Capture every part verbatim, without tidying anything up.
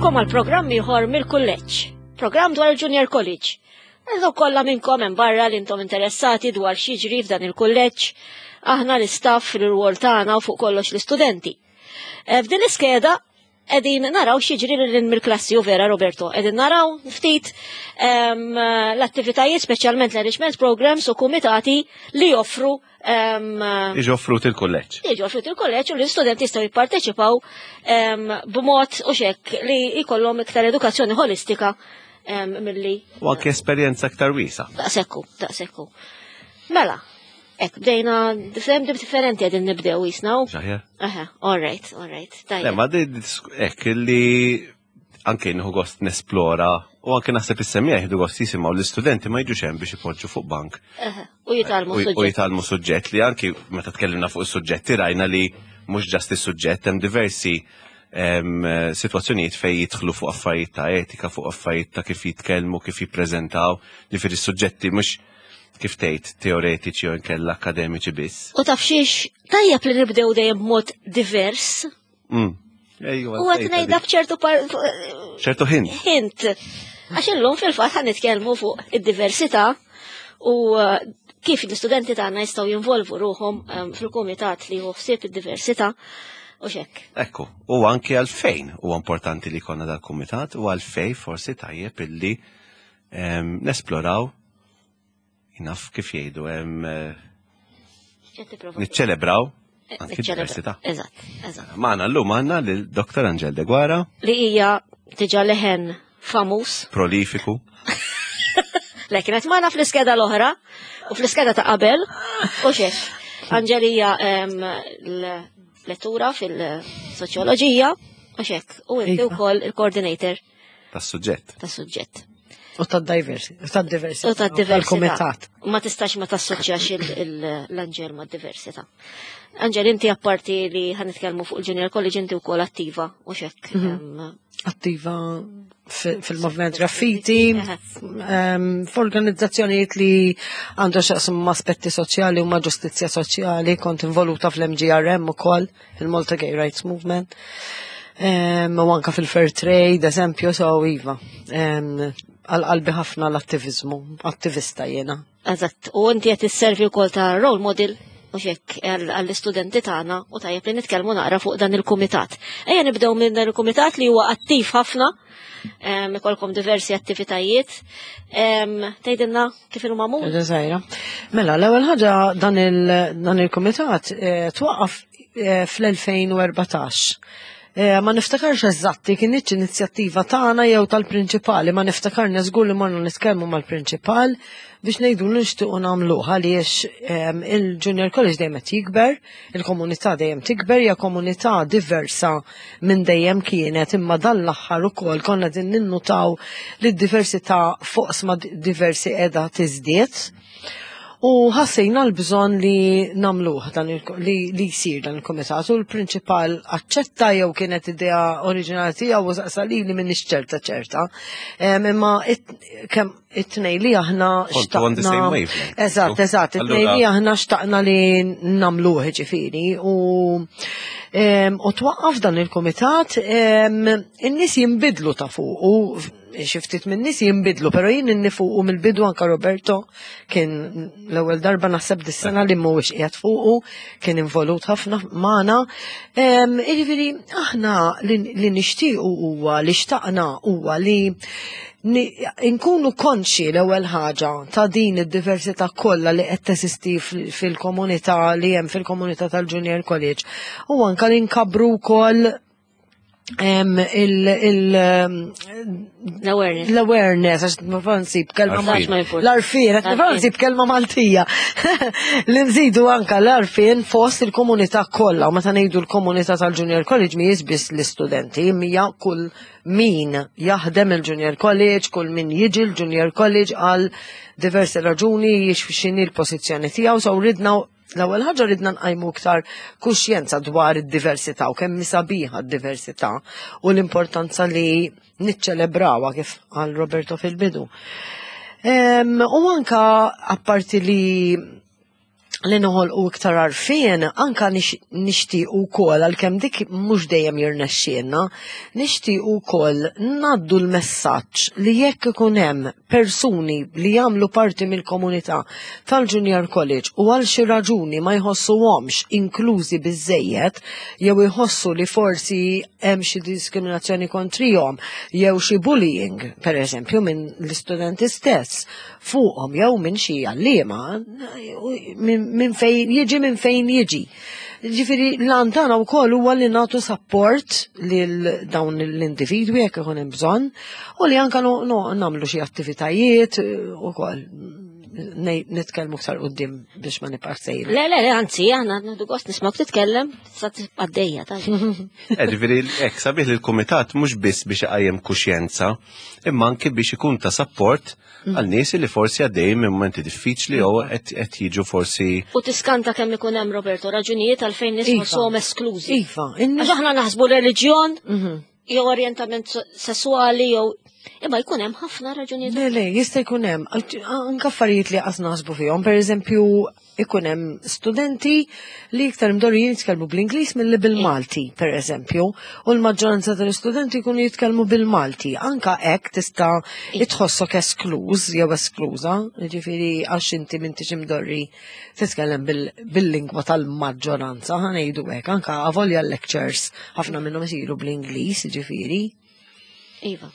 Nilqgħukom għal programm ieħor mill-kulleġġ, programm dwar il-Junior College. Dawk kollha minnkom hemm barra li intom interessati dwar x'jiġri f'dan il-kulleġġ, aħna l-istaff, l-rwol tagħna u fuq kollox l-istudenti. Eh, F'din l-iskeda qegħdin naraw x'jiġri lil mill-klassi u vera Roberto, qegħdin naraw ftit em, l-attivitajiet, speċjalment l-enrichment programs u kumitati li joffru em, Iġu offrut il-kulleġġ. Jiġu offrut il-kolleġġ u l-istudenti jistgħu jipparteċipaw em, b'mod u xek li jkollhom iktar edukazzjoni holistika em, milli U anke esperjenza aktar wiesa. Daqsekku, daqsekku. Mela, ek bdejna differenti differenti qegħdin nibdew jisnaw. Xaħjar? Aha, all right, all right. Le, Tajjeb. ma di ek li anke nieħu gost nesplora u anke naħseb is-semmiegħa jieħdu gost jisimgħu l-istudenti ma jiġux hemm biex ipoġġu fuq bank Aha, u jitgħallmu u u suġġett. jitgħallmu suġġett li anki meta tkellimna fuq is-suġġetti rajna li mhux just is-suġġett, hemm diversi em, sitwazzjonijiet fej jidħlu fuq affarijiet ta' etika, fuq affarijiet ta' kif jitkellmu, kif jippreżentaw, ġifieri s-suġġetti mhux kif tgħid teoretiċi u nkella akademiċi biss. U taf xiex, tajjeb li nibdew dejjem b'mod divers. Mm. Ejwa, U qed ngħidha b'ċertu par- ċertu hint. hint. Għax illum fil-fatt ħa nitkellmu fuq id-diversità u uh, kif l-istudenti tagħna jistgħu jinvolvu ruħhom um, fil-kumitat li hu ħsieb id-diversità u xek. Ekku, u anke għalfejn huwa importanti li jkollna dal-kumitat u għalfejn forsi tajjeb illi em, nesploraw naf kif jgħidu em, eh, X'qed tipprova? niċċelebraw Eh, anke niċċelebra. diversità. Eżatt, eżatt. Magħna llum għandna lil Dottor Angel Deguara, Li hija diġà leħen famuż. Prolifiku. Le kienet magħna fl-iskeda l-oħra u fl-iskeda ta' qabel u xiex. Angel hija em, l-lettura fil-soċjoloġija u xek. U inti Iva. wkoll il-coordinator tas-suġġett. tas-suġġett. U tad-diversity. U tad-diversità. U tad-diversità. Tal-kumitat. Ma tistax ma tassoċjax il- il- l-Angel ma' diversità. Angel, inti apparti li ħa nitkellmu fuq il-Junior College, inti wkoll attiva u xek. em, Attiva fi- fil-movement graffiti, Eħe. em, f'organizzazzjonijiet li għandu x'jaqsmu ma' aspetti soċjali u ma' ġustizzja soċjali, kont involuta fl-M G R M ukoll, il-Malta Gay Rights Movement. Em, U anka fil-Fair Trade, eżempju, so iva. Em, Għal-qalbi ħafna l-attivizmu, attivista jena. Eżatt, u inti qed isservi wkoll ta' role model u xek għall-istudenti tagħna u tajjeb li nitkellmu naqra fuq dan il-kumitat. Ejja nibdew minn dan il-kumitat li huwa attiv ħafna, em, ikolkom diversi attivitajiet. Em, Tgħidilna kif inhu magħmul? Ħaġa żgħira. Mela, l-ewwel ħaġa dan il- dan il-kumitat eh, twaqqaf eh, fl-elfejn u erbatax. Eh, Ma niftakarx eżatti kienx inizjattiva tagħna jew tal-prinċipali, ma niftakarni żgur li morna nitkellmu mal-prinċipal biex ngħidu li nixtiequ nagħmluh għaliex em, il-Junior College dejjem qed jikber, il-komunità dejjem tikber, hija komunità diversa minn dejjem kienet, imma dan l-aħħar ukoll konna din ninnutaw li d-diversità fuq sma diversi qiegħda tiżdied. U ħassejna l-bżonn li nagħmluh dan il li, li jsir dan il-komitat u l-prinċipal aċċetta jew kienet idea oriġinali tiegħu u saqsa li li m'iniex ċerta ċerta. Em, Imma it- kemm it-tnej li aħna Kontu on the same wavelength. Eżatt, eżatt, it-tnej li Allura- aħna xtaqna li nagħmluh ġifieri u em, u twaqqaf dan il-komitat, em, in-nies jinbidlu ta' fuq u xi ftit minn nies jinbidlu, pero jien inni fuqu mill-bidu, anka Roberto kien l-ewwel darba naħseb dis-sena li mhuwiex qiegħed fuqu, kien involut ħafna magħna. Em, Jiġifieri aħna li li nixtiequ huwa li xtaqna huwa li ni- nkunu konxi l-ewwel ħaġa ta' din id-diversità kollha li qed teżisti fil- fil-komunità li hemm fil-komunità tal-Junior College u anka li nkabru wkoll em, il- il- L-awareness. l-awareness, għax ma nsib kelma Għarfien. Ma importa. L-għarfien, qed nipprova nsib kelma Maltija. Li nżidu anka l-għarfien fost il-komunità kollha, u meta ngħidu l-komunità tal-Junior College mhijiex biss l-istudenti, hija kull min jaħdem il-Junior College, kull min jiġi l-Junior College għal diversi raġuni jiex x'inhi l-pożizzjoni tiegħu, so ridna l-ewwel ħaġa ridna nqajmu iktar kuxjenza dwar id-diversità u kemm sabiħa d-diversità u l-importanza li niċċelebrawha kif qal Roberto fil-bidu. Em, U anka apparti li li noħolqu iktar għarfien, anka nixtiequ wkoll, għalkemm dik mhux dejjem jirnexxielna, nixtiequ wkoll ngħaddu l-messaġġ li jekk ikun hemm persuni li jagħmlu parti mill-komunità tal-Junior College u għal xi raġuni ma jħossuhomx inklużi biżejjed jew jħossu li forsi hemm xi diskriminazzjoni kontrihom jew xi bullying, per eżempju, minn l-istudenti stess fuqhom jew minn xi għalliema, minn min fejn jiġi minn fejn jiġi. Ġifieri l-għan tagħna wkoll huwa li nagħtu support lil dawn l-individwi jekk ikun hemm bżonn u li anka nagħmlu xi attivitajiet ukoll, nitkellmu aktar quddiem biex ma nibqa' sejra. Le, le, le, anzi, aħna nieħdu gost nismgħuk titkellem, sa għaddejja, ta' Ġifieri, hekk sabiħ li l-kumitat mhux biss biex iqajjem kuxjenza, imma anke biex ikun ta' support għal nies li forsi għaddejjin minn momenti diffiċli jew qed jiġu forsi. U tiskanta kemm ikun hemm, Roberto, raġunijiet għalfejn nies Iva. ħossuhom esklużi. Iva, Għax aħna naħsbu reliġjon jew orjentament sessuali jew, imma jkun hemm ħafna raġunijiet. Le, le, jista' jkun hemm anke affarijiet li qas naħsbu fihom. Per eżempju, ikun hemm studenti li iktar imdorrijin jitkellmu bl-Ingliż milli bil-Malti, per eżempju, u l-maġġoranza tal-istudenti jkunu jitkellmu bil-Malti. Anka hekk tista' tħossok eskluż jew eskluża, jiġifieri għax inti m'intix imdorri titkellem bil-lingwa tal-maġġoranza, ħa ngħidu hekk, anka avolja lectures ħafna minnhom isiru bl-Ingliż, jiġifieri. Iva.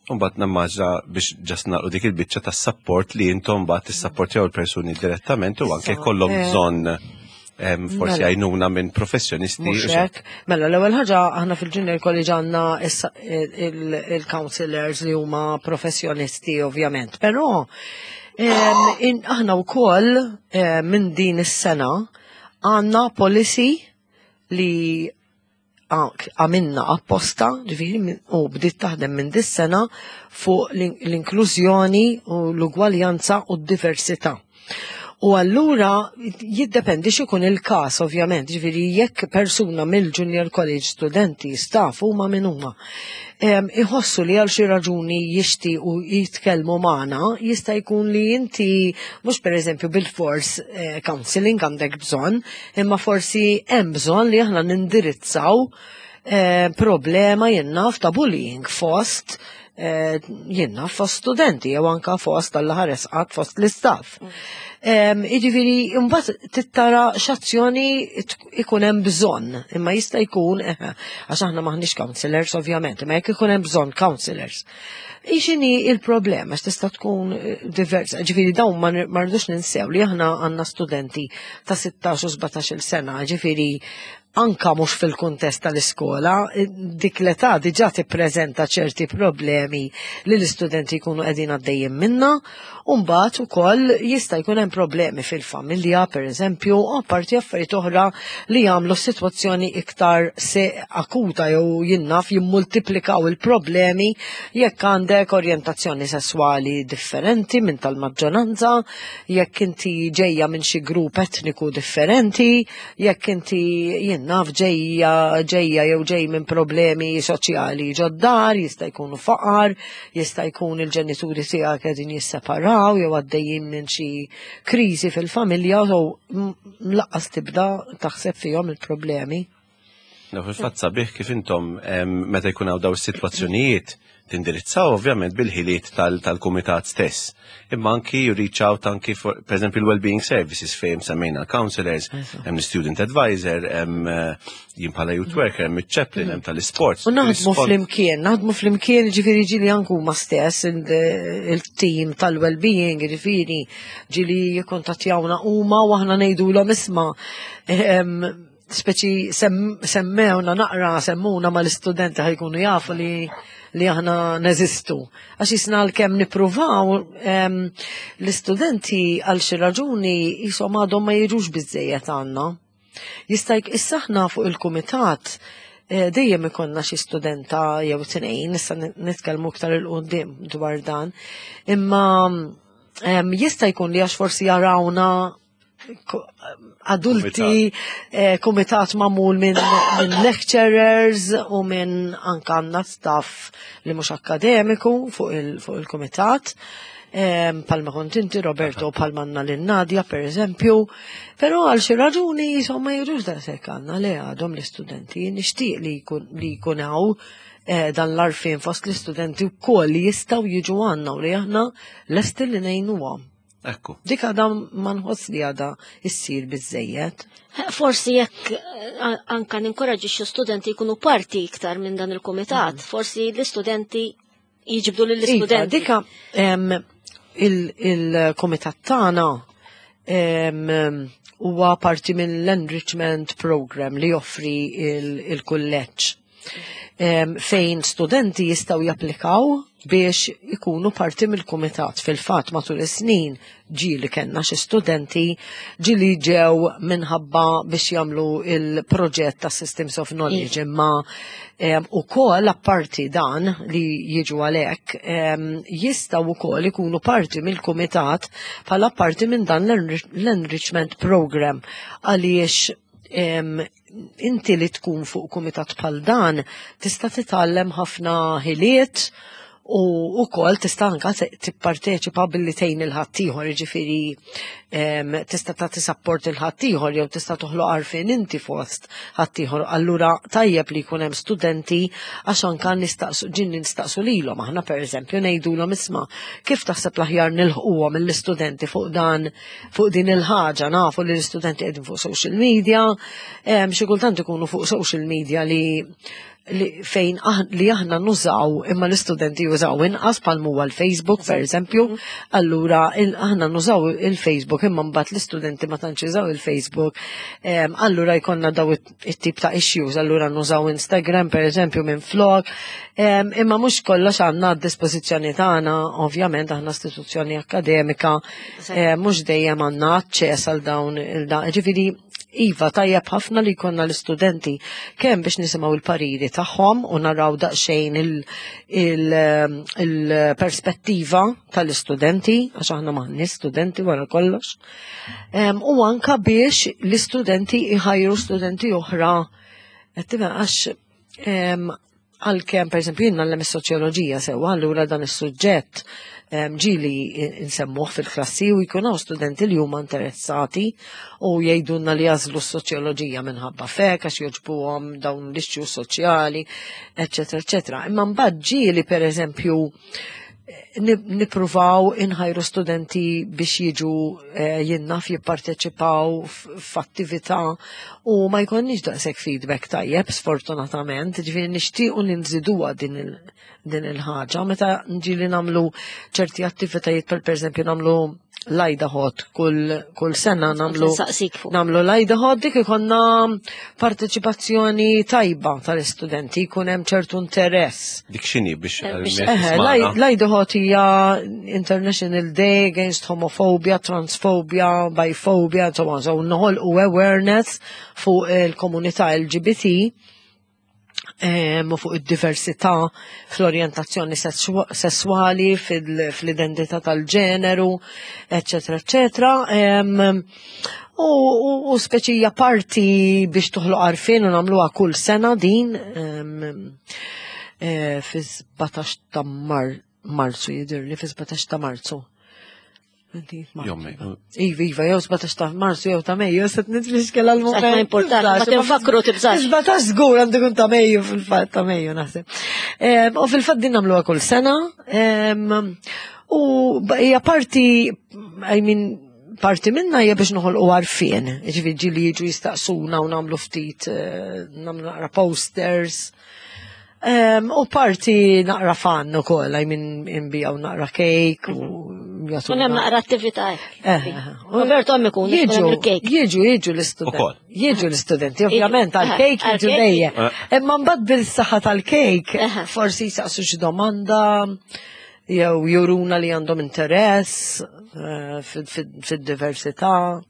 Mbagħad nimmaġina biex just nagħlqu dik il-biċċa tas-support li intom mbagħad tissapportjaw il-persuni direttament u anke kollhom eh, bżonn em, forsi Mela. għajnuna minn professjonisti. Mhux hekk. Mela, l-ewwel ħaġa, aħna fil-Junior College għandna issa il- il-counselors li huma professjonisti ovvjament, però em, in- aħna wkoll eh, minn din is-sena għandna policy li għamilna apposta, ġifieri, min- u bdiet taħdem minn dis-sena fuq l- l-inklużjoni u l-ugwaljanza u d-diversità. U allura jiddependi x'ikun il-każ ovvjament, ġifieri jekk persuna mill-Junior College, studenti, staff, huma minn huma, em, iħossu li għal xi raġuni jixtiequ jitkellmu magħna, jista' jkun li inti mhux pereżempju bil-fors eh, counseling għandek bżonn, imma forsi hemm bżonn li aħna nindirizzaw eh, problema, jien naf, ta' bullying fost eh, jien naf, fost studenti jew anka fost tal-ħares qatt fost l-istaff. Em, Jiġifieri, imbagħad tittara x'azzjoni t- ikun hemm bżonn, imma jista' jkun, eh, għax aħna maħniex counselors ovvjament, imma jekk ikun hemm bżonn counselors. X'inhi il-problema, għax tista' tkun eh, diversa, ġifieri dawn ma nir- ma rridux ninsew li aħna għandna studenti ta' sittax u sbatax-il sena, ġifieri anka mhux fil-kuntest tal-iskola, eh, dik l-età diġà tippreżenta ċerti problemi li l-istudenti jkunu qegħdin għaddejjin minna, u mbagħad ukoll jista' jkun hemm problemi fil-familja, per eżempju, u apparti affarijiet oħra li jagħmlu s-sitwazzjoni iktar se akuta jew, jien naf, jimmultiplikaw il-problemi jekk għandek orjentazzjoni sesswali differenti minn tal-maġġoranza, jekk inti ġejja minn xi grupp etniku differenti, jekk inti, jien naf, ġejja ġejja jew ġej minn problemi soċjali ġod-dar, jista' jkunu faqar, jista' jkun il-ġenituri tiegħek qegħdin jisseparaw jew għaddejjin minn xi kriżi fil-familja u lanqas tibda taħseb fihom il-problemi. No, fil-fatt sabiħ kif intom em, meta jkun hawn daw is-sitwazzjonijiet tindirizzaw ovvjament bil-ħiliet tal- tal-kumitat stess. Imma anki you reach out anki for, per eżempju, l-well-being services fejn semmejna counselors, hemm student advisor, hemm eh, jien bħala youth worker, hemm il-chaplain, hemm tal-sports. U naħdmu Rispon- flimkien, naħdmu flimkien, ġifieri ġieli anku ma stess il- il-team tal-well-being, ġifieri ġieli jikkontattjawna huma u aħna ngħidulhom, "Isma', em, speċi sem, semmewna naqra, semmuna ma l-istudenti ħa jkunu jafu li li aħna neżistu." Għax jisna l-kem nipruvaw em, l-istudenti għal xi raġuni jisom għadhom ma jiġux biżejjed għandna. Jista' jk- issa aħna fuq il-kumitat eh, dejjem ikollna xi studenta jew tnejn, issa nitkellmu iktar 'il quddiem dwar dan. Imma em, jista' jkun li għax forsi jarawna ko- adulti, eh, komitat magħmul minn min lecturers u minn anka għandna staff li mhux akademiku fuq il- fuq il-komitat. Em, Bħalma kont inti, Roberto, bħalma għandna lil Nadja, per eżempju. Però għal xi raġuni, insomma, jiġux daqshekk għandna li għadhom l-istudenti. Nixtieq li jkun li jkun hawn eh, dan l-għarfien fost l-istudenti wkoll li jistgħu jiġu għandna u li aħna lesti li ngħinuhom. Ekku. Dik għadha ma nħoss li għadha issir biżejjed. Forsi jekk eh, anka ninkoraġixxu studenti jkunu parti iktar minn dan il-kumitat, forsi l-istudenti jiġbdu Iva, lill-istudenti. dika em, il- il-komitat tagħna em, huwa parti mill-enrichment program li joffri il- il-kulleġġ. Em, fejn studenti jistgħu japplikaw biex ikunu parti mill-kumitat. Fil-fatt matul is-snin ġieli kellna xi studenti ġieli ġew minħabba biex jagħmlu il-proġett ta' Systems of Knowledge imma em, ukoll apparti dan li jiġu għalhekk em, jistgħu wkoll ikunu parti mill-kumitat bħala parti minn dan l-enrich- l-enrichment program għaliex em, inti li tkun fuq kumitat bħal dan tista' titgħallem ħafna ħiliet u wkoll tista' anka te- tipparteċipa billi tgħin il-ħaddieħor, jiġifieri em, tista' tagħti support il-ħaddieħor jew tista' toħloq għarfien inti fost ħaddieħor. Allura tajjeb li jkun hemm studenti għax anka nistaqsu ġin nistaqsu lilhom aħna pereżempju ngħidulhom isma' kif taħseb l-aħjar nilħquhom mill-istudenti fuq dan fuq din il-ħaġa nafu li l-istudenti qegħdin fuq social media, em, xi kultant ikunu fuq social media li li fejn aħ, li aħna nużaw imma l-istudenti jużaw inqas bħal huwa l-Facebook per eżempju, allura il, aħna nużaw il-Facebook imma mbagħad l-istudenti ma tantx jużaw il-Facebook, em, allura jkollna daw it- it-tip ta' issues, allura nużaw Instagram per eżempju minn flok, em, imma mhux kollox għandna d-dispożizzjoni tagħna, ovvjament aħna istituzzjoni akademika, eh, mhux dejjem għandna aċċess għal dawn il-da, ġifieri Iva, tajjeb ħafna li jkollna l-istudenti kemm biex nisimgħu il-pariri tagħhom u naraw daqsxejn il-perspettiva tal-istudenti, għax aħna m'aħniex studenti wara kollox. Em, U anka biex l-istudenti iħajru studenti oħra. Qed tifhem, għax em, għalkemm per eżempju jien ngħallem is-soċjoloġija sewwa, allura dan is-suġġett em, ġieli nsemmuh fil-klassi u jkun hawn studenti li huma interessati u jgħidulna li jagħżlu s-soċjoloġija minħabba fek għax jogħġbuhom dawn l-issues soċjali, eċetera, eċetera. Imma mbagħad ġieli per eżempju ni- nippruvaw inħajru studenti biex jiġu eh, jinnaf jipparteċipaw f- f'attività u ma jkollniex daqshekk feedback tajjeb sfortunatament, ġifieri nixtiequ li nżiduha din il- din il-ħaġa. Meta ġieli nagħmlu ċerti attivitajiet per pereżempju nagħmlu l-IDAHOT kull, kull sena nagħmlu Saqsik fuq. nagħmlu l-IDAHOT dik ikollna parteċipazzjoni tajba tal-istudenti, jkun hemm ċertu interess. Dik x'inhi biex Eh, biex- għal- Eħe, tismagħna? l-IDAHOT hija International Day Against Homophobia, Transphobia, Biphobia, and so on. So noħolqu awareness fuq il-komunità L G B T em, u fuq id-diversità fl-orjentazzjoni sessu- sessuali, fil- fl-identità tal-ġeneru, eccetera, eccetera. Em, U, u, u speċi hija parti biex toħloq għarfien u nagħmluha kull sena din em, eh, fi sbatax ta' Mar Marzu jidir li fi sbatax ta' Marzu. Inti, Marzu. Jommi. Iva, iva, jew sbatax ta' Marzu jew ta' Mejju, set nitfixkel għal-moment. Ma importanti, ma tinfakru tibżax. Sbatax żgur għandu kun ta' Mejju fil-fatt ta' Mejju naħseb. Em, U fil-fatt din nagħmluha kull sena. em, U ba- hija parti, I mean, parti minna hija biex noħolqu għarfien. Ġifieri ġieli jiġu jistaqsuna u nagħmlu ftit, eh, nagħmlu naqra posters. Um, u parti naqra fun ukoll, I mean, inbigħu naqra cake u jagħtuna. Kun hemm naqra attività. Eh, Roberto hemm ikun, ikun Jiġu, hemm il-cake. jiġu, jiġu l-istudenti. Ukoll. Jiġu l-istudenti, ovvjament, Jiġu. għal-cake Eh, jiġu għal-cake. dejjem. Eh. Imma mbagħad bil-saħħa tal-cake, Eħe. forsi jisaqsu xi domanda, jew juruna li għandhom interess eh, fid- fid- fid-diversità.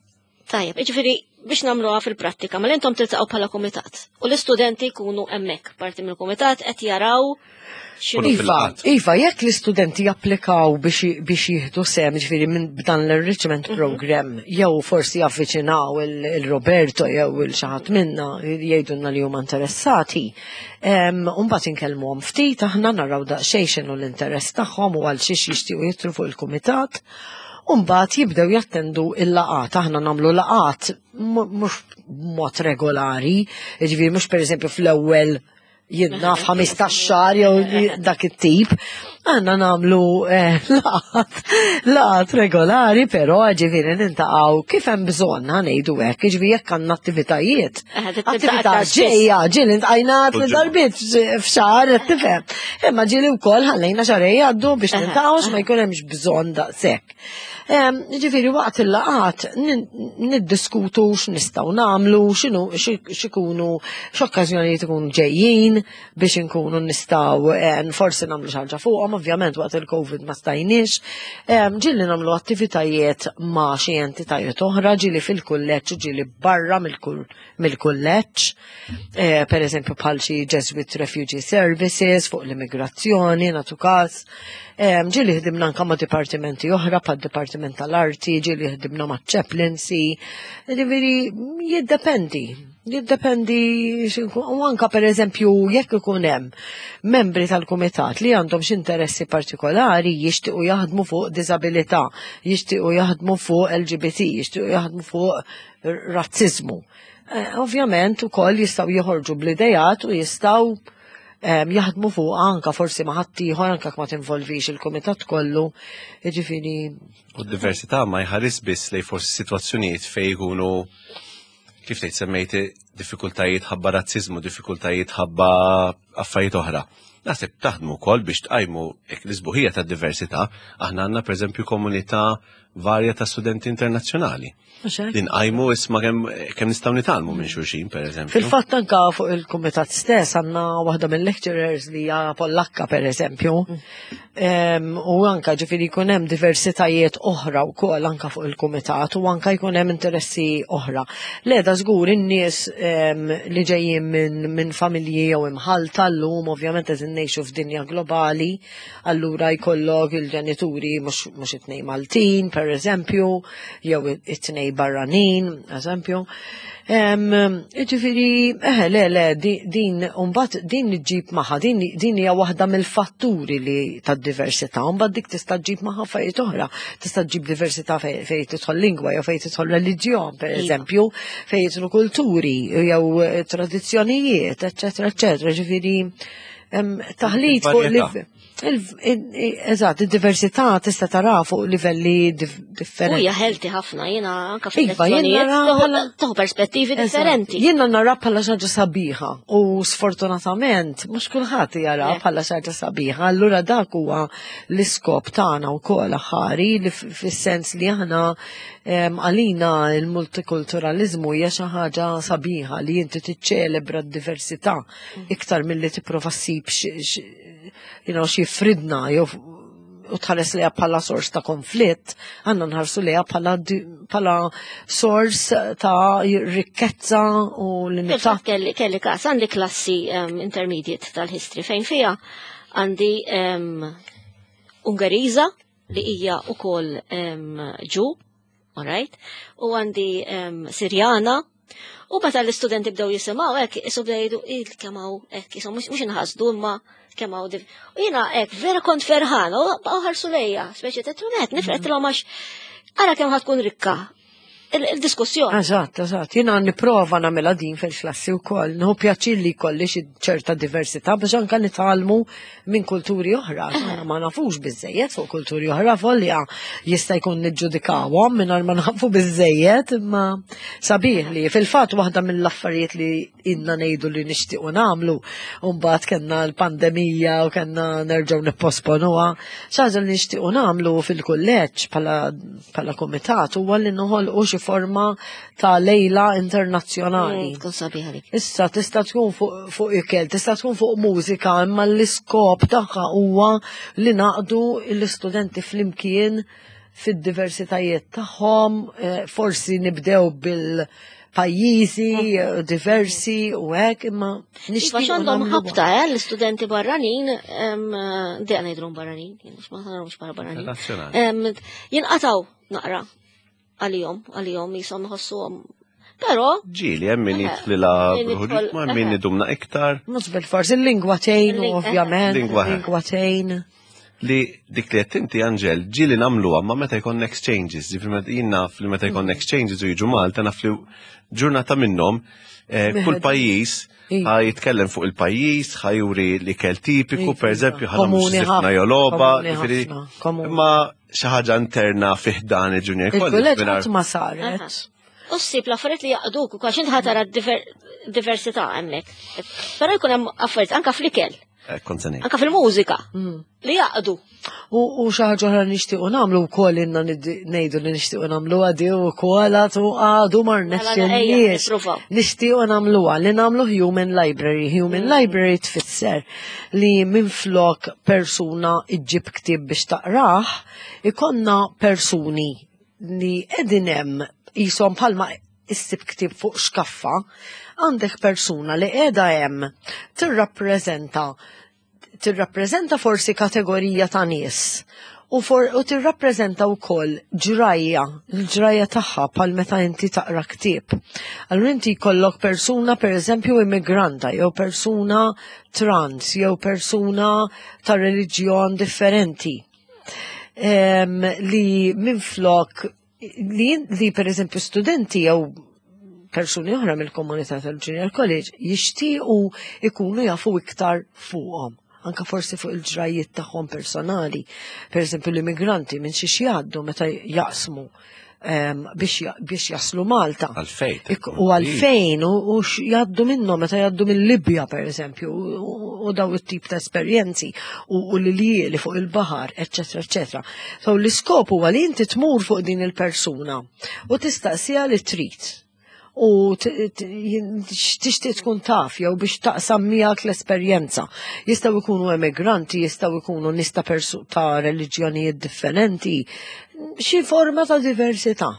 Tajjeb, jiġifieri biex nagħmluha fil-prattika, ma intom tiltaqgħu bħala kumitat u l-istudenti jkunu hemmhekk parti mill-kumitat qed jaraw x'inhu. Iva, Iva, fil-qatt. Iva, jekk l-istudenti japplikaw biex biex jieħdu sehem, ġifieri minn b'dan l-enrichment program, jew forsi javviċinaw il-Roberto jew il xi ħadd minna jgħidulna li huma interessati, mbagħad inkellmuhom ftit aħna, naraw daqsxejn x'inhu l-interess tagħhom u għal xiex jixtiequ jidħlu fuq il-kumitat. Umbat jibdew jattendu il-laqat, aħna nagħmlu laqat mhux b'mod regolari, ġifieri mhux per eżempju fl-ewwel jiena f'ħmistax xahar jew dak it-tip. Għandna nagħmlu eh, laqat, laqat regolari, però ġifieri niltaqgħu kif hemm bżonn, ħa ngħidu hekk, ġifieri jekk għandna attivitajiet. Eh, tiltaqa' Attività aktar spiss. ġejja, ġieli ltqajna Kull tliet ġimgħa. darbiet f'xahar, tifhem. Imma ġieli wkoll ħallejna xahrejn jgħaddu biex Aha, niltaqgħu, ma jkun hemmx bżonn daqshekk. Em, Ġifieri waqt il-laqat nin- niddiskutu x'nistgħu nagħmlu, x'inhu xi- x'ikunu x'okkażjonijiet ikunu ġejjin biex inkunu nistgħu eh, forsi nagħmlu xi ħaġa fuqhom, ovvjament waqt il-Covid ma stajniex. Em, Ġieli nagħmlu attivitajiet ma' xi entitajiet oħra, ġieli fil-kulleġġ u ġieli barra mill-kull- mill-kulleġġ. Eh, per eżempju bħal xi Jesuit Refugee Services fuq l-immigrazzjoni, nagħtu każ. Em, Ġieli ħdimna anka ma' dipartimenti oħra, bħal Dipartiment tal-Arti, ġieli ħdimna ma' Chaplaincy. Ġifieri, jiddependi. Jiddependi, x'inkun- u anka per eżempju, jekk ikun hemm membri tal-kumitat li għandhom xi interessi partikolari, jixtiequ jaħdmu fuq disabilità, jixtiequ jaħdmu fuq L G B T, jixtiequ jaħdmu fuq razzizmu. Eh, Ovvjament ukoll jistgħu joħorġu bl-idejat u jistgħu em, jaħdmu fuq anka forsi ma' ħaddieħor, anka ma tinvolvix il-kumitat kollu, jiġifieri. U d-diversità ma jħares biss lej forsi situazzjonijiet fej jkunu, kif tgħid, semmejti diffikultajiet ħabba razzizmu, diffikultajiet ħabba affarijiet oħra. Naħseb taħdmu wkoll biex tqajmu hekk l-isbuħija tad-diversità. Aħna għandna pereżempju komunità varja ta' studenti internazzjonali. Mhux hekk? Li nqajmu isma' kemm kemm nistgħu nitgħallmu minn xulxin, pereżempju. Fil-fatt anka fuq il-kumitat stess għandna waħda mill-lecturers li hija Pollakka, per eżempju. Em, U anka ġifieri jkun hemm diversitajiet oħra wkoll anka fuq il-kumitat u anka jkun hemm interessi oħra. Le, da żgur, in-nies em, li ġejjin minn min familji jew imħalta llum, ovvjament qed ngħixu f'dinja globali, allura jkollok il-ġenituri mhux mhux it-tnejn Maltin, per eżempju, jew it-tnejn barranin, eżempju. Em, Ġifieri, eħe, le, le, di- din, umbat din ġib magħha, din, din hija waħda mill-fatturi li tad-diversità, umbat dik tista' ġib magħha affarijiet oħra, tista' ġib diversità fej fej tidħol lingwa jew fej tidħol reliġjon, per Iva. eżempju, fej jidħlu kulturi jew eh, tradizzjonijiet, eċċetera, eċċetera, ġifieri, em, taħlit fuq Il-varjetà. liv- il- il- Eżatt, id-diversità tista' tara fuq livelli dif- U differenti. hija healthy ħafna, jiena anka Iva, jien fil-lezzjonijiet nara tieħu- bħala- tieħu perspettivi differenti. Jiena nara bħala xi ħaġa sabiħa u sfortunatament mhux kulħadd jara Le. bħala xi ħaġa sabiħa. Allura dak huwa l-iskop tagħna wkoll aħħari li f- fis-sens li aħna em, għalina il-multikulturalizmu hija xi ħaġa sabiħa li inti tiċċelebra d-diversità iktar milli tipprova ssib xi- xi- you know, xi fridna jew u tħares liha bħala sors ta' konflitt, għandna nħarsu liha bħala di- bħala sors ta' rikkezza u li nita. Fil-fatt kelli kelli każ, għandi klassi um, intermediate tal-history fejn fija għandi um, Ungeriża li hija ukoll um, Ġu, alright, u għandi um, Sirjana. U meta l-istudenti bdew jisimgħu hekk, isu bdew jgħidu il kemm hawn hekk, isu mhux mhux inħasdu imma kemm hawn div. U jiena hekk vera kont ferħana u baqgħu ħarsu lejja, speċi ta' trunet, nifret għax ara kemm ħa tkun rikka il- il-diskussjoni. Eżatt, eżatt. Jiena nipprova nagħmilha din fil-klassi wkoll. Nieħu pjaċir li jkolli xi ċerta diversità biex anka nitgħallmu minn kulturi oħra. Aħna ma nafux biżejjed fuq kulturi oħra, volja jista' jkun niġġudikawhom mingħajr ma nafu biżejjed, imma sabiħ li fil-fatt waħda mill-affarijiet li inna ngħidu li nixtiequ nagħmlu, u mbagħad kellna l-pandemija u kellna nerġgħu nipposponuha. Xi ħaġa li nixtiequ nagħmlu fil-kulleġġ bħala bħala kumitat huwa li noħolqu xi forma ta' lejla internazzjonali. Mm, Tkun sabiħa dik. Issa tista' tkun fuq fuq ikel, tista' tkun fuq mużika, imma l-iskop tagħha huwa li naqdu l-istudenti flimkien fid-diversitajiet tagħhom, eh, forsi nibdew bil-pajjiżi eh, diversi u hekk, imma Iva, nixtiequ x'għandhom nagħmluha. ħabta, eh, l-istudenti barranin, em, dejja ngħidulhom barranin, jien ma narahomx bħala barranin. Internazzjonali. Em, Jinqataw naqra għalihom, għalihom jisom iħossuhom. Però Ġieli, hemm min Eħe. jidħlilha Min jidħol, ma hemm min eħe. idumna iktar Mhux bil-fors, il-lingwa tgħin Il-ling- ovvjament, Lingwa, eh. il-lingwa tgħin. Li dik li qed inti, Angel, ġieli nagħmluha ma meta jkun exchanges, ġifieri meta jien naf li meta jkun exchanges u jiġu Malta, naf li ġurnata minnhom eh, kull Meħed. pajjiż Iva. ħa jitkellem fuq il-pajjiż, ħa juri l-ikel tipiku, Iva, per eżempju, ħa nagħmlu Komuni xi żifna ħafna, jew logħba, komuni ġifieri, ħafna, komuni. imma xi ħaġa interna fi ħdan il-Junior College. Il-kulleġġ mingħajr- qatt ma saret. U ssib l-affarijiet li jaqduk, u għax inti ħa tara diver- diversità hemmhekk. Però jkun hemm affarijiet anka fl-ikel, Eh, kont se ngħid. anka fil-mużika, Mm. li jaqdu. U u xi ħaġa oħra nixtiequ nagħmlu wkoll, inna nid- ngħidu li nixtiequ nagħmlu għadi u wkoll għadu għadu mar Mela, ejja, nexxinniex. nippruvaw. Nixtiequ nagħmluha li nagħmlu Human Library. Human Library tfisser li minflok persuna iġġib ktieb biex taqrah, ikonna persuni li qegħdin hemm jisom bħalma issib ktieb fuq xkaffa, għandek persuna li qiegħda hemm tirrappreżenta tirrappreżenta forsi kategorija ta' nies u, for, u tirrappreżenta wkoll ġrajja, l-ġrajja tagħha bħal meta inti taqra ktieb. Allura inti jkollok persuna, per eżempju, immigranta jew persuna trans jew persuna ta' reliġjon differenti. Em, li minflok li, li per eżempju studenti jew persuni oħra mill-komunità tal-Junior College jixtiequ ikunu jafu iktar fuqhom, anka forsi fuq il-ġrajiet tagħhom personali. Per eżempju l-immigranti minn xi jgħaddu meta jaqsmu em, biex ja- biex jaslu Malta. Għalfejn. Ik- U għalfejn, u u x'jgħaddu minnhom meta jgħaddu mill-Libja, per eżempju, u- u daw it-tip ta' esperjenzi, u u l-lieli fuq il-baħar, eccetera, eccetera. So l-iskop huwa li inti tmur fuq din il-persuna u tistaqsiha li trid u t- t- jien- tixtieq tkun taf jew biex taqsam miegħek l-esperjenza. Jistgħu jkunu emigranti, jistgħu jkunu nies ta' persu- ta' reliġjonijiet differenti, xi forma ta' diversità.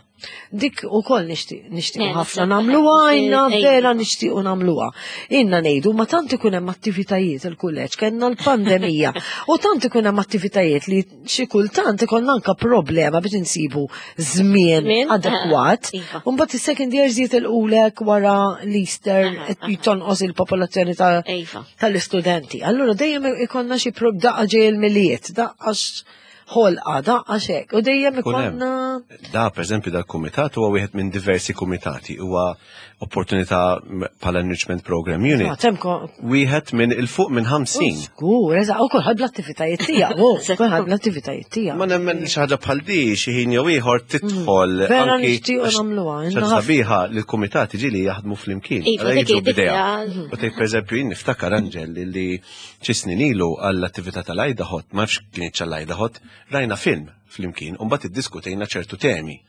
Dik ukoll nixtieq nixtieq Eh, ħafna naħseb- nagħmluha, inna eh, vera nixtiequ nagħmluha. Inna ngħidu ma tant ikun hemm attivitajiet il-kulleġġ, kellna l-pandemija, u tant ikun hemm attivitajiet li xi kultant ikollna anka problema biex insibu żmien Żmien, adekwat. eh, iva. Mbagħad is-second years jitilqulek wara l-Easter, Aha, aha. tonqos il-popolazzjoni ta' Iva. tal-istudenti. Allura dejjem ikonna xi prob daqqa ġej il-Milied, daqqa x- ħolqa, daqqa xek, u dejjem Ikun hemm. ikonna Da, per eżempju, dal-kumitat huwa wieħed minn diversi kumitati, huwa opportunità bħala Enrichment Program Unit. Ah, temko Wieħed minn il-fuq minn ħamsin. Żgur, eżatt, u kulħadd bl-attivitajiet tiegħu, u kulħadd bl-attivitajiet tiegħu. Ma nemmen li xi ħaġa bħal di xi ħin jew ieħor tidħol Mm. Vera anki nixtiequ għax nagħmluha, xi inna ħafna. sabiħa li l-kumitati ġieli jaħdmu flimkien. Iva, Allora dik- jiġu dik b'idea. hija- U tgħid, pereżempju, jien niftakar, Angel, li xi snin ilu għall-attività tal-IDAHOT, ma nafx kienet għall-IDAHOT, rajna film flimkien u mbagħad iddiskutejna ċertu temi.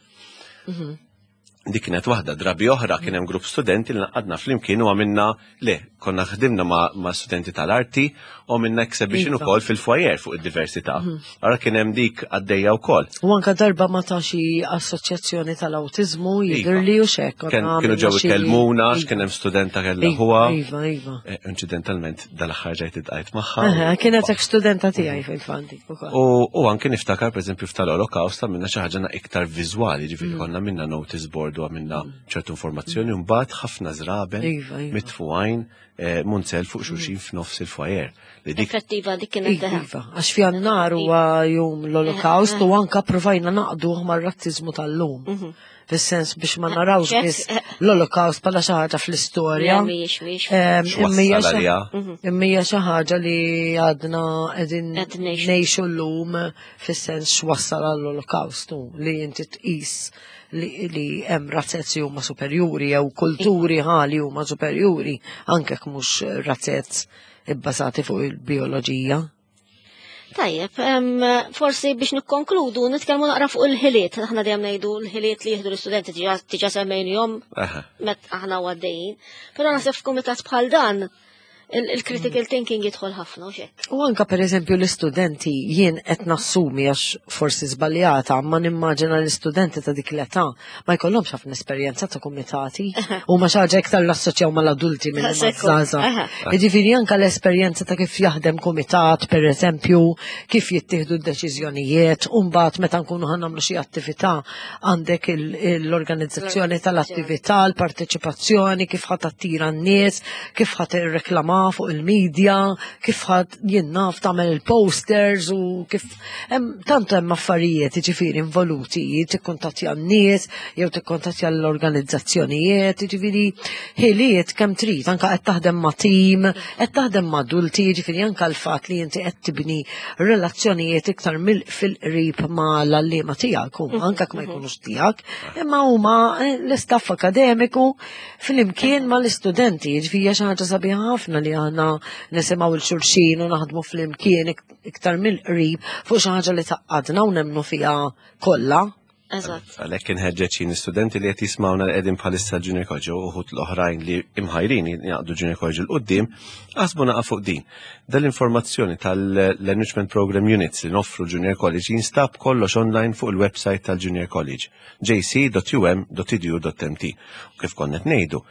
Dik kienet waħda, drabi oħra kien hemm grupp studenti li naqadna flimkien u għamilna, le, konna ħdimna ma', ma studenti tal-arti u għamilna exhibition Iva. ukoll fil-foyer fuq id-diversità. Ara kien hemm dik għaddejja wkoll. U anka darba ma ta' xi assoċjazzjoni tal-awtiżmu jidher li u xek. Ken- Kienu ġew ikellmuna, x'kien hemm studenta kellha Iva, ħuha. Iva, iva. Eh, Incidentalment dal-aħħar ġejt iltqajt magħha. Aha, kienet ek studenta tiegħi fil-fandi ukoll. U, u anke niftakar, per eżempju, f'tal-Holocaust għamilna xi ħaġa iktar viżwali, ġifieri Mm. konna minna notice board u għamilna ċertu informazzjoni u mbagħad ħafna żraben Iva, iva. mitfugħin eh, munzel fuq xulxin f'nofs il-foyer. Li dik Effettiva dik kienet Iva, teħa. iva, għax f'Jannar huwa jum l-Holocaust u anka provajna naqduh mar-razzizmu tal-lum. Fis-sens biex ma narawx Ċek. biss l-Holocaust bħala xi ħaġa fl-istorja. Le, mhijiex, mhijiex. Em, imma hija X'wassal xi- għaliha. Imma hija xi ħaġa li għadna qegħdin Qed ngħixu. ngħixu llum, fis-sens x'wassal għall-Holocaust u li inti tqis li, li hemm razzezzi huma superjuri jew kulturi ħali huma superjuri anke jekk mhux razzezz ibbażati fuq il-bioloġija. Tajjeb, em, forsi biex nikkonkludu, nitkellmu naqra fuq il-ħiliet. Aħna dejjem ngħidu l-ħiliet li jieħdu l-istudenti, diġà diġà semmejnihom Aha. met aħna għaddejjin. Però naħseb f'kumitat bħal dan, Il-critical thinking jidħol ħafna u xek. U anka per eżempju l-istudenti, jien qed nassumi, għax forsi żbaljata, ma nimmaġina l-istudenti ta' dik l-età ma jkollhomx ħafna esperjenza ta' kumitati u ma xi ħaġa iktar l-assoċjaw mal-adulti minn Sekku, maż-żgħażagħ. aha. Jiġifieri anka l-esperjenza ta' kif jaħdem kumitat, per eżempju, kif jittieħdu d-deċiżjonijiet, u mbagħad meta nkunu ħa nagħmlu xi attività għandek il- l-organizzazzjoni tal-attività, l-parteċipazzjoni, kif ħa tattira n-nies, kif ħa tirreklama fuq il-medja, kif ħa jien naf tagħmel il-posters u kif hemm tant hemm affarijiet jiġifieri involuti, tikkuntattja n-nies jew tikkuntattja l-organizzazzjonijiet, jiġifieri ħiliet kemm trid, anka qed taħdem ma' tim, qed taħdem ma' adulti, jiġifieri anka l-fatt li inti qed tibni relazzjonijiet iktar mill fil-qrib ma' l-għalliema tiegħek, huma anka ma jkunux tiegħek, imma huma eh, l-istaff akademiku flimkien ma' l-istudenti, jiġifieri hija xi ħaġa sabiħa ħafna li aħna nisimgħu 'l xulxin u naħdmu flimkien ik- iktar mill-qrib fuq xi ħaġa li tgħaqqadna u nemmnu fiha kollha. Eżatt. Għalhekk inħeġġeġ jien studenti li qed jismawna li qegħdin bħalissa Junior College u uħud l-oħrajn li imħajrin jaqdu Junior College 'l quddiem, aħsbu naqa fuq din. Dal-informazzjoni tal-Enrichment Program Units li noffru Junior College jinstab kollox online fuq il-website tal-Junior College, J C dot U M dot edu dot M T. U kif konna ngħidu,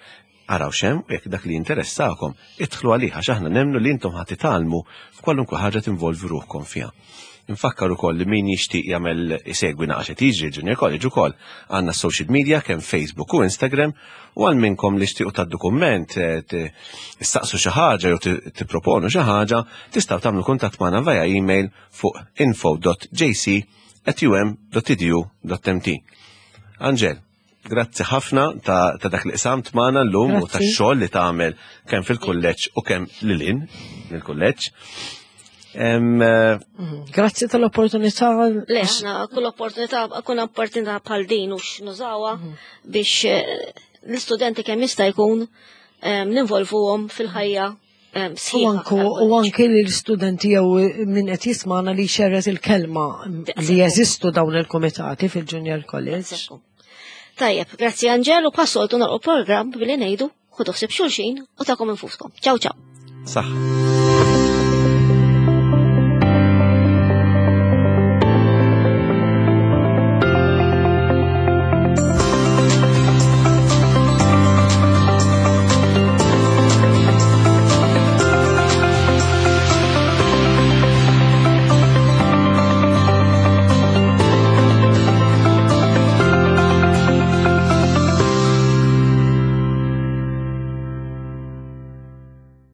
araw x'hemm u jekk dak li jinteressakom, idħlu għalih għax aħna nemmnu li intom ħa titgħallmu f'kwalunkwe ħaġa tinvolvi ruħkom fiha. Infakkar ukoll li min jixtieq jagħmel isegwi naqa xi tiġri Junior College ukoll għandna social media kemm Facebook u Instagram, u għal minnkom li xtiequ ta' dokument eh, tistaqsu xi ħaġa jew tipproponu xi ħaġa, tistgħu tagħmlu kuntatt magħna via email fuq info dot J C at U M dot edu dot M T. Angel, grazzi ħafna ta', ta dak li qsamt magħna llum u Grazzi. tax-xogħol li tagħmel kemm fil-kulleġġ u kemm lil hinn mill-kulleġġ. Em, eh, Grazzi tal-opportunità. Le, aħna kull opportunità, kull opportunità bħal din u nużawha biex eh, l-istudenti kemm jista' jkun eh, ninvolvuhom fil-ħajja eh, U sħiħa anku, u tal-kulleġġ. anki li l-studenti jew min qed jismana li xerret il-kelma li jeżistu dawn il-komitati fil-Junior College. Ekku. Tajjeb, grazzi Angel, u bħas-soltu nagħlqu program billi ngħidu ħudu ħsieb xulxin u tagħkom infuskom. Ciao ciao. Saħ.